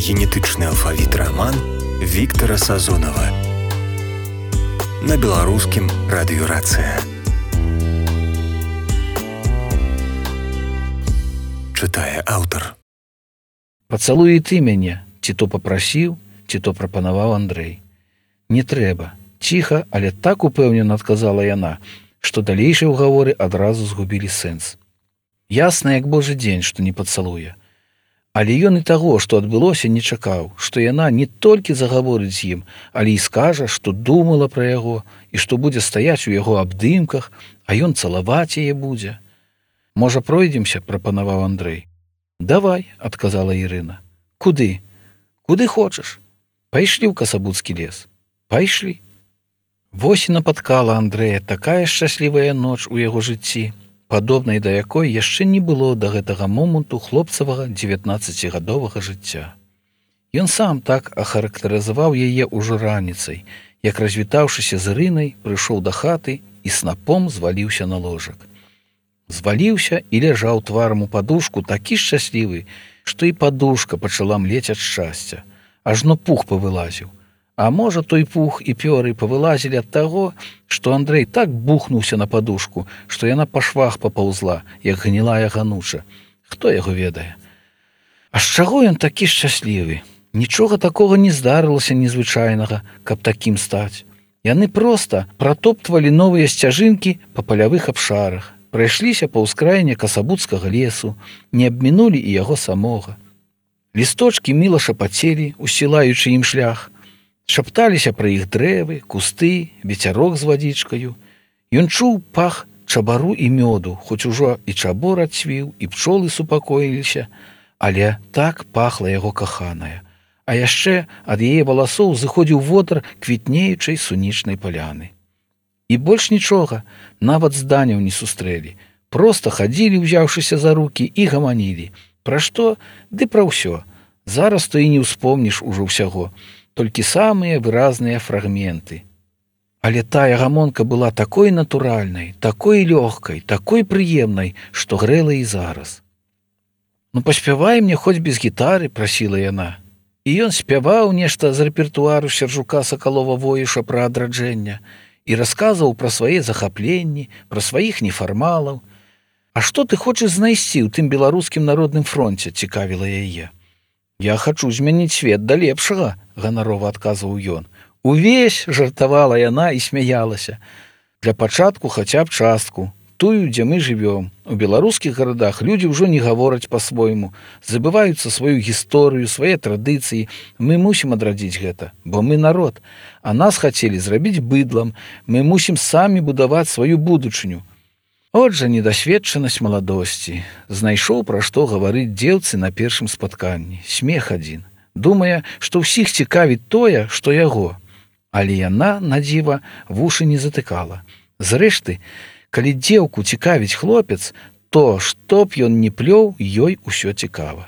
Генетычны алфавіт раман Віктара Сазонава на беларускім радыёрацыя. Чытае аўтар. Пацалуй і ты мяне, ці то папрасіў, ці то прапанаваў Андрэй. Не трэба. Ціха, але так упэўнена адказала яна, што далейшыя ўгаворы адразу згубілі сэнс. Ясна, як божы дзень, што не пацалуе. Але ён і таго, што адбылося, не чакаў, што яна не толькі загаворыць з ім, але і скажа, што думала пра яго і што будзе стаяць у яго абдымках, а ён цалаваць яе будзе. Можа, пройдземся, прапанаваў Андрэй. Давай, адказала Ірына. Куды? Куды хочаш? Пайшлі ў касабуцкі лес. Пайшлі. Вось і напаткала Андрэя такая шчаслівая ноч у яго жыцці, падобнай да якой яшчэ не было да гэтага моманту хлопцавага 19гадовага жыцця. Ён сам так ахарактарызаваў яе ўжо раніцай, як, развітаўшыся з Ірынай, прыйшоў да хаты і снапом зваліўся на ложак. Зваліўся і ляжаў тварам у падушку такі шчаслівы, што і падушка пачала млець ад шчасця, ажно пух павылазіў. А можа, той пух і пёры павылазілі ад таго, што Андрэй так бухнуўся на падушку, што яна па швах папаўзла, як гнілая гануча. Хто яго ведае? А з чаго ён такі шчаслівы? Нічога такога не здарылася незвычайнага, каб такім стаць. Яны проста пратоптвалі новыя сцяжынкі па палявых абшарах, прайшліся па ўскраіне касабуцкага лесу, не абмінулі і яго самога. Лісточкі міла шапацелі, усілаючы ім шлях, шапталіся пра іх дрэвы, кусты, вецярок з вадзічкаю. Ён чуў пах чабару і мёду, хоць ужо і чабор адцвіў, і пчолы супакоіліся, але так пахла яго каханая. А яшчэ ад яе валасоў зыходзіў водар квітнеючай сунічнай паляны. І больш нічога, нават зданяў не сустрэлі. Проста хадзілі, узяўшыся за рукі, і гаманілі. Пра што? Ды пра ўсё. Зараз то і не ўспомніш ужо ўсяго. Толькі самыя выразныя фрагменты. Але тая гамонка была такой натуральнай, такой лёгкай, такой прыемнай, што грэла і зараз. Ну, паспявай мне хоць без гітары, прасіла яна. І ён спяваў нешта з рэпертуару Сяржука Сакалова-Воіша пра адраджэння і расказваў пра свае захапленні, пра сваіх нефармалаў. А што ты хочаш знайсці ў тым беларускім народным фронце, цікавіла яе. Я хачу змяніць свет да лепшага, ганарова адказваў ён. Увесь жартавала яна і смяялася. Для пачатку хаця б частку, тую, дзе мы жывём. У беларускіх гарадах людзі ўжо не гавораць па-свойму, забываюцца сваю гісторыю, свае традыцыі. Мы мусім адрадзіць гэта, бо мы народ, а нас хацелі зрабіць быдлам. Мы мусім самі будаваць сваю будучыню. От жа недасведчанасць маладосці. Знайшоў, пра што гаварыць дзеўцы на першым спатканні. Смех адзін. Думае, што ўсіх цікавіць тое, што яго. Але яна, на дзіва, вушы не затыкала. Зрэшты, калі дзеўку цікавіць хлопец, то, што б ён не плёў, ёй усё цікава.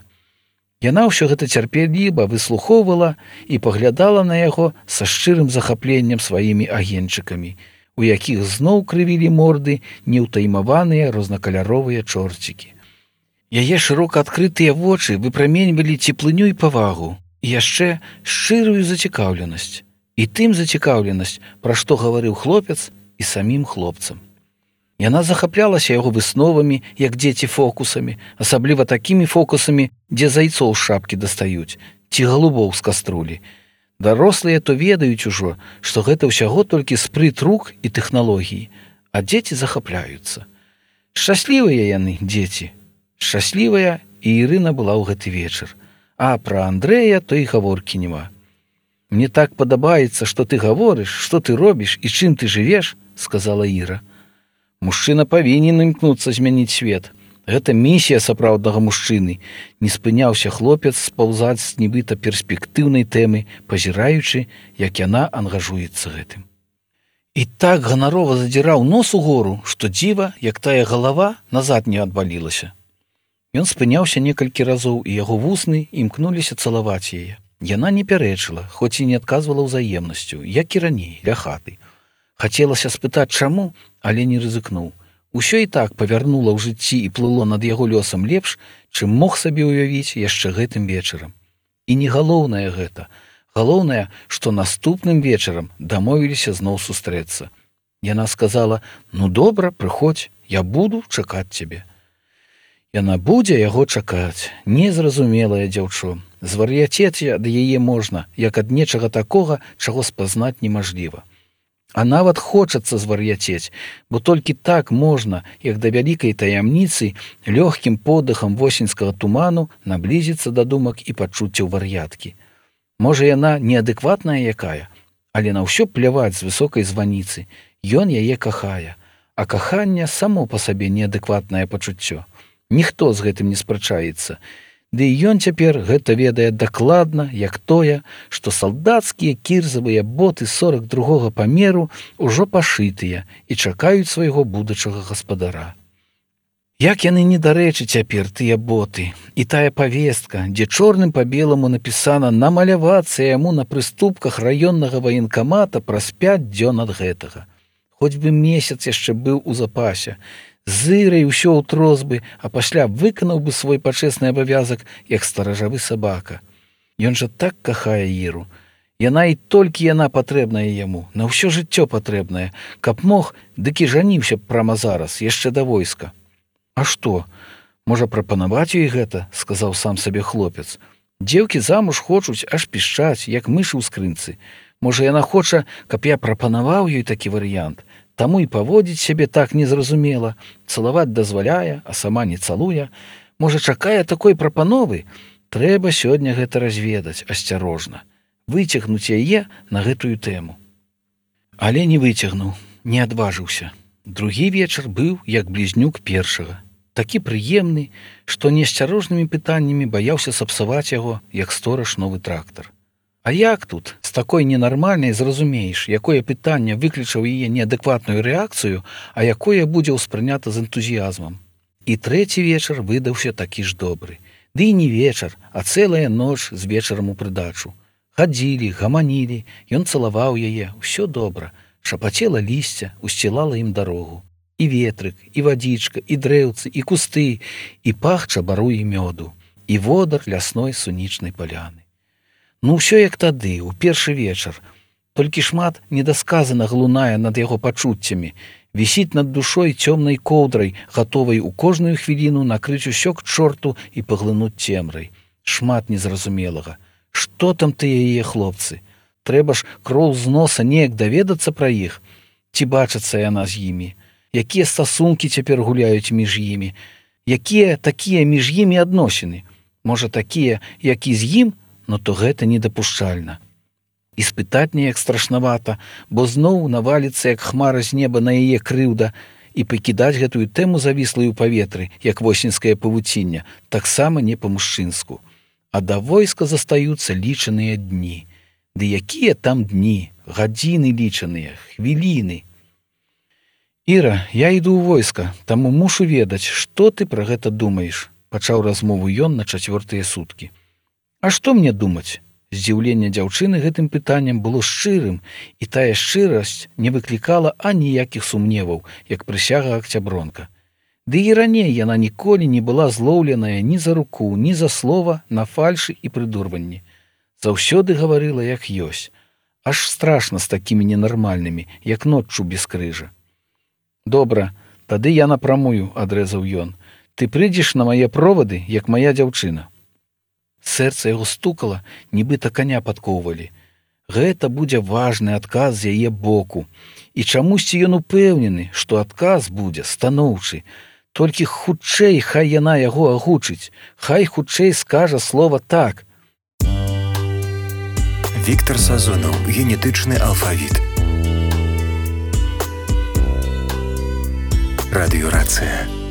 Яна ўсё гэта цярпеліва выслухоўвала і паглядала на яго са шчырым захапленнем сваімі агеньчыкамі, у якіх зноў крывілі морды неўтаймаваныя рознакаляровыя чорцікі. Яе шырока адкрытыя вочы выпраменьвалі цеплыню і павагу, і яшчэ шчырую зацікаўленасць. І тым зацікаўленасць, пра што гаварыў хлопец і самім хлопцам. Яна захаплялася яго высновамі, як дзеці фокусамі, асабліва такімі фокусамі, дзе зайцоў з шапкі дастаюць, ці галубоў з каструлі. Дарослыя то ведаюць ужо, што гэта ўсяго толькі спрыт рук і тэхналогіі, а дзеці захапляюцца. Шчаслівыя яны, дзеці. Шчаслівая і Ірына была ў гэты вечар. А пра Андрэя то і гаворкі няма. Мне так падабаецца, што ты гаворыш, што ты робіш і чым ты жывеш, сказала Іра. Мужчына павінен імкнуцца змяніць свет. Гэта місія сапраўднага мужчыны. Не спыняўся хлопец спаўзаць з нібыта перспектыўнай тэмы, пазіраючы, як яна ангажуецца гэтым. І так ганарова задзіраў нос угору, што дзіва, як тая галава, назад не адвалілася. Ён спыняўся некалькі разоў, і яго вусны імкнуліся цалаваць яе. Яна не пярэчыла, хоць і не адказвала ўзаемнасцю, як і раней, ля хаты. Хацелася спытаць, чаму, але не рызыкнуў. Усё і так павярнула ў жыцці і плыло над яго лёсам лепш, чым мог сабе ўявіць яшчэ гэтым вечарам. І не галоўнае гэта. Галоўнае, што наступным вечарам дамовіліся зноў сустрэцца. Яна сказала: «Ну добра, прыходзь, я буду чакаць цябе». Яна будзе яго чакаць, незразумелае дзяўчо. Звар'яцець ад яе можна, як ад нечага такога, чаго спазнаць немажліва. А нават хочацца звар'яцець, бо толькі так можна, як да вялікай таямніцы, лёгкім подыхам восеньскага туману наблізіцца да думак і пачуццяў вар'яткі. Можа, яна неадэкватная якая, але на ўсё пляваць з высокай званіцы. Ён яе кахае, а каханне само па сабе неадэкватнае пачуццё. Ніхто з гэтым не спрачаецца. Ды і ён цяпер гэта ведае дакладна, як тое, што салдацкія кірзавыя боты 42-го памеру ўжо пашытыя і чакаюць свайго будучага гаспадара. Як яны недарэчы цяпер, тыя боты, і тая павестка, дзе чорным па беламу напісана намалявацца яму на прыступках раённага ваенкамата праз 5 дзён ад гэтага. Хоць бы месяц яшчэ быў у запасе, зырай усё ўтрос бы, а пасля выканаў бы свой пачэсны абавязак, як старажавы сабака. Ён жа так кахае Іру. Яна і толькі яна патрэбная яму, на ўсё жыццё патрэбная. Каб мог, дык і жаніўся б прама зараз, яшчэ да войска. А што? Можа, прапанаваць ёй гэта, сказаў сам сабе хлопец. Дзеўкі замуж хочуць аж пішчаць, як мышы ў скрынцы. Можа, яна хоча, каб я прапанаваў ёй такі варыянт. Таму і паводзіць сябе так незразумела, цалаваць дазваляе, а сама не цалуе. Можа, чакае такой прапановы? Трэба сёння гэта разведаць асцярожна, выцягнуць яе на гэтую тэму. Але не выцягнуў, не адважыўся. Другі вечар быў як блізнюк першага, такі прыемны, што неасцярожнымі пытаннямі баяўся сапсаваць яго, як стораж новы трактар. А як тут, з такой ненармальнай зразумееш, якое пытанне выклічаў яе неадэкватную рэакцыю, а якое будзе ўспрынята з энтузіязмам. І трэці вечар выдаўся такі ж добры. Ды і не вечар, а цэлая ноч з вечарам у прыдачу. Хадзілі, гаманілі, ён цалаваў яе, усё добра. Шапацела лісця, усцілала ім дарогу. І ветрык, і вадзічка, і дрэўцы, і кусты, і пах чабару і мёду, і водар лясной сунічнай паляны. Ну ўсё як тады, у першы вечар. Толькі шмат недасказана глунае над яго пачуццямі, вісіць над душой цёмнай коўдрай, гатовай у кожную хвіліну накрыць усё к чорту і паглынуць цемрай. Шмат незразумелага. Што там тыя яе хлопцы? Трэба ж кроў з носа неяк даведацца пра іх. Ці бачацца яна з імі? Якія стасункі цяпер гуляюць між імі? Якія такія між імі адносіны? Можа, такія, як і з ім, но то гэта недапушчальна. І спытаць неяк страшнавата, бо зноў наваліцца, як хмара з неба на яе крыўда, і пакідаць гэтую тэму завіслую ў паветры, як восеньскае павуцінне, таксама не па-мужчынску. А да войска застаюцца лічаныя дні. Ды якія там дні, гадзіны лічаныя, хвіліны. Іра, я іду ў войска, таму мушу ведаць, што ты пра гэта думаеш, пачаў размову ён на 4-тыя суткі. А што мне думаць? Здзіўленне дзяўчыны гэтым пытаннем было шчырым, і тая шчырасць не выклікала аніякіх сумневаў, як прысяга Акцябронка. Ды і раней яна ніколі не была злоўленая ні за руку, ні за слова на фальшы і прыдурванні. Заўсёды гаварыла, як ёсць. Аж страшна з такімі ненармальнымі, як ноччу без крыжа. Добра, тады я напрамую, адрэзаў ён. Ты прыйдзеш на мае провады, як мая дзяўчына. Сэрца яго стукала, нібыта каня падкоўвалі. Гэта будзе важны адказ з яе боку. І чамусьці ён упэўнены, што адказ будзе станоўчы. Толькі хутчэй хай яна яго агучыць, хай хутчэй скажа слова «так». Віктар Сазонаў. Генетычны алфавіт. Радыёрацыя.